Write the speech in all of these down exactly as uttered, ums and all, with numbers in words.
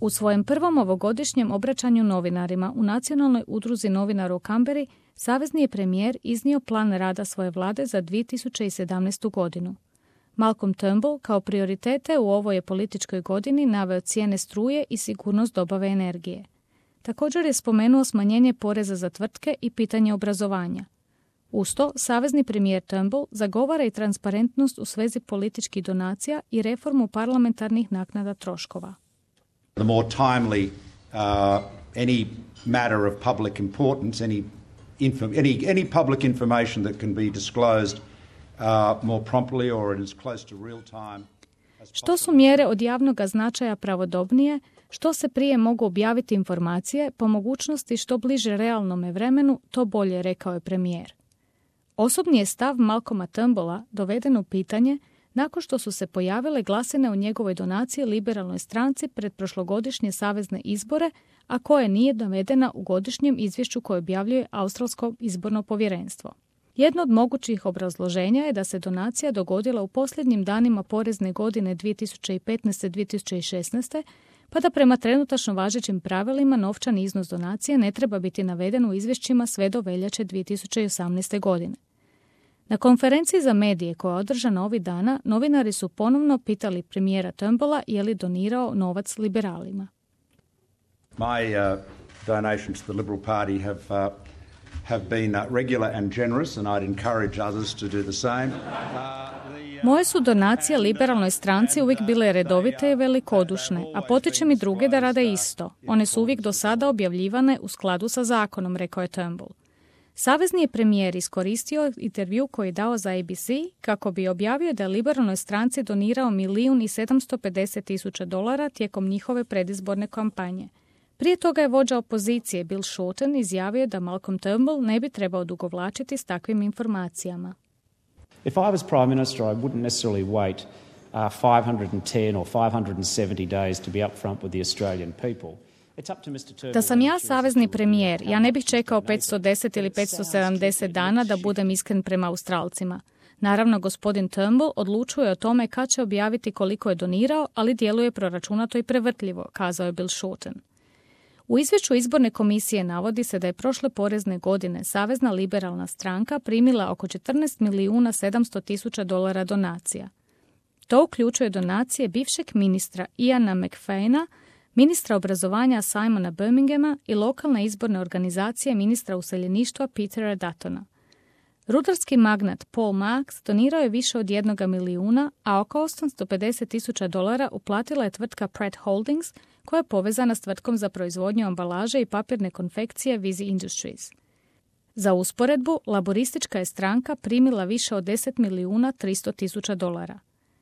U svojem prvom ovogodišnjem obraćanju novinarima u Nacionalnoj udruzi novinara u Kamberi, savezni je premijer iznio plan rada svoje vlade za dvije tisuće sedamnaestu. godinu. Malcolm Turnbull kao prioritete u ovoj je političkoj godini naveo cijene struje i sigurnost dobave energije. Također je spomenuo smanjenje poreza za tvrtke i pitanje obrazovanja. Uz to, savezni premijer Turnbull zagovara i transparentnost u svezi političkih donacija i reformu parlamentarnih naknada troškova. The more timely uh, any matter of public importance, any, info, any, any public information that can be disclosed uh, more promptly or in as close to real time. Što su mjere od javnog značaja pravodobnije, što se prije mogu objaviti informacije, po mogućnosti što bliže realnome vremenu, to bolje, rekao je premijer. Osobni je stav Malcolma Turnbulla doveden u pitanje nakon što su se pojavile glasine u njegovoj donaciji liberalnoj stranci pred prošlogodišnje savezne izbore, a koje nije navedena u godišnjem izvješću koje objavljuje Australsko izborno povjerenstvo. Jedno od mogućih obrazloženja je da se donacija dogodila u posljednjim danima porezne godine dvije tisuće petnaeste. dvije tisuće šesnaeste. pa da prema trenutačno važećim pravilima novčani iznos donacije ne treba biti naveden u izvješćima sve do veljače dvije tisuće osamnaeste. godine. Na konferenciji za medije koja je održana ovih dana, novinari su ponovno pitali premijera Turnbulla je li donirao novac liberalima. My uh, donations to the Liberal Party have uh, have been uh, regular and generous, and I'd encourage others to do the same. Uh, Moje su donacije liberalnoj stranci uvijek bile redovite i velikodušne, a potičem i druge da rade isto. One su uvijek do sada objavljivane u skladu sa zakonom, rekao je Turnbull. Savezni je premijer iskoristio intervju koji je dao za A B C kako bi objavio da je liberalnoj stranci donirao milijun i sedamsto pedeset tisuća dolara tijekom njihove predizborne kampanje. Prije toga je vođa opozicije Bill Shorten izjavio da Malcolm Turnbull ne bi trebao dugovlačiti s takvim informacijama. If I was Prime Minister, I wouldn't necessarily wait uh, five hundred ten or five hundred seventy days to be upfront with the Australian people. Da sam ja savezni premijer, ja ne bih čekao petsto deset ili petsto sedamdeset dana da budem iskren prema Australcima. Naravno, gospodin Turnbull odlučuje o tome kad će objaviti koliko je donirao, ali djeluje proračunato i prevrtljivo, kazao je Bill Shorten. U izvješću izborne komisije navodi se da je prošle porezne godine Savezna liberalna stranka primila oko četrnaest milijuna sedamsto tisuća dolara donacija. To uključuje donacije bivšeg ministra Iana McFaina, ministra obrazovanja Simona Birminghama i lokalne izborne organizacije ministra useljeništva Petera Duttona. Rudarski magnat Paul Marks donirao je više od jednoga milijuna, a oko osamsto pedeset tisuća dolara uplatila je tvrtka Pratt Holdings, koja je povezana s tvrtkom za proizvodnju ambalaže i papirne konfekcije Visy Industries. Za usporedbu, laboristička je stranka primila više od deset milijuna tristo tisuća dolara.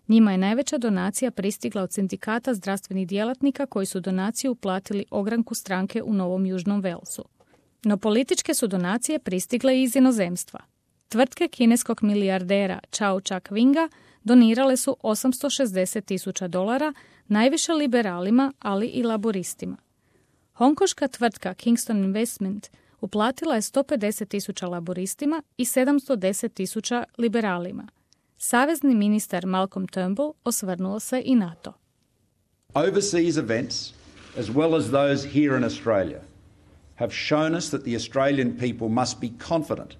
Njima je najveća donacija pristigla od sindikata zdravstvenih djelatnika koji su donaciju uplatili ogranku stranke u Novom Južnom Walesu. No političke su donacije pristigle i iz inozemstva. Tvrtke kineskog milijardera Chao Chak-winga donirale su osamsto šezdeset tisuća dolara, najviše liberalima, ali i laboristima. Hongkoška tvrtka Kingston Investment uplatila je sto pedeset tisuća laboristima i sedamsto deset tisuća liberalima. Savezni ministar Malcolm Turnbull osvrnuo se i na to. Overseas events, as well as those here in Australia, have shown us that the Australian people must be confident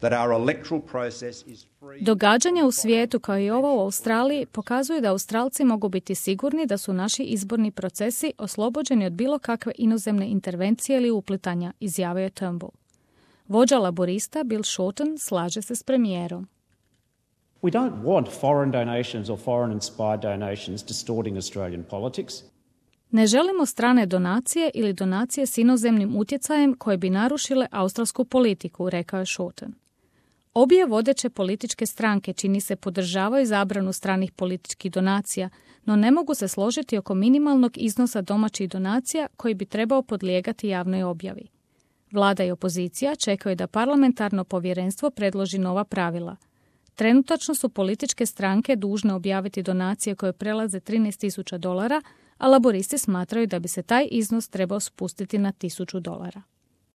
that our electoral process is free. Događanja u svijetu kao i ovo u Australiji pokazuju da Australci mogu biti sigurni da su naši izborni procesi oslobođeni od bilo kakve inozemne intervencije ili uplitanja, izjavio je Turnbull. Vođa laborista Bill Shorten slaže se s premijerom. We don't want foreign donations or foreign-inspired donations distorting Australian politics. Ne želimo strane donacije ili donacije s inozemnim utjecajem koje bi narušile australsku politiku, rekao je Shorten. Obje vodeće političke stranke čini se podržavaju zabranu stranih političkih donacija, no ne mogu se složiti oko minimalnog iznosa domaćih donacija koji bi trebao podlijegati javnoj objavi. Vlada i opozicija čekaju da parlamentarno povjerenstvo predloži nova pravila. Trenutačno su političke stranke dužne objaviti donacije koje prelaze trinaest tisuća dolara, a laboristi smatraju da bi se taj iznos trebao spustiti na tisuću dolara.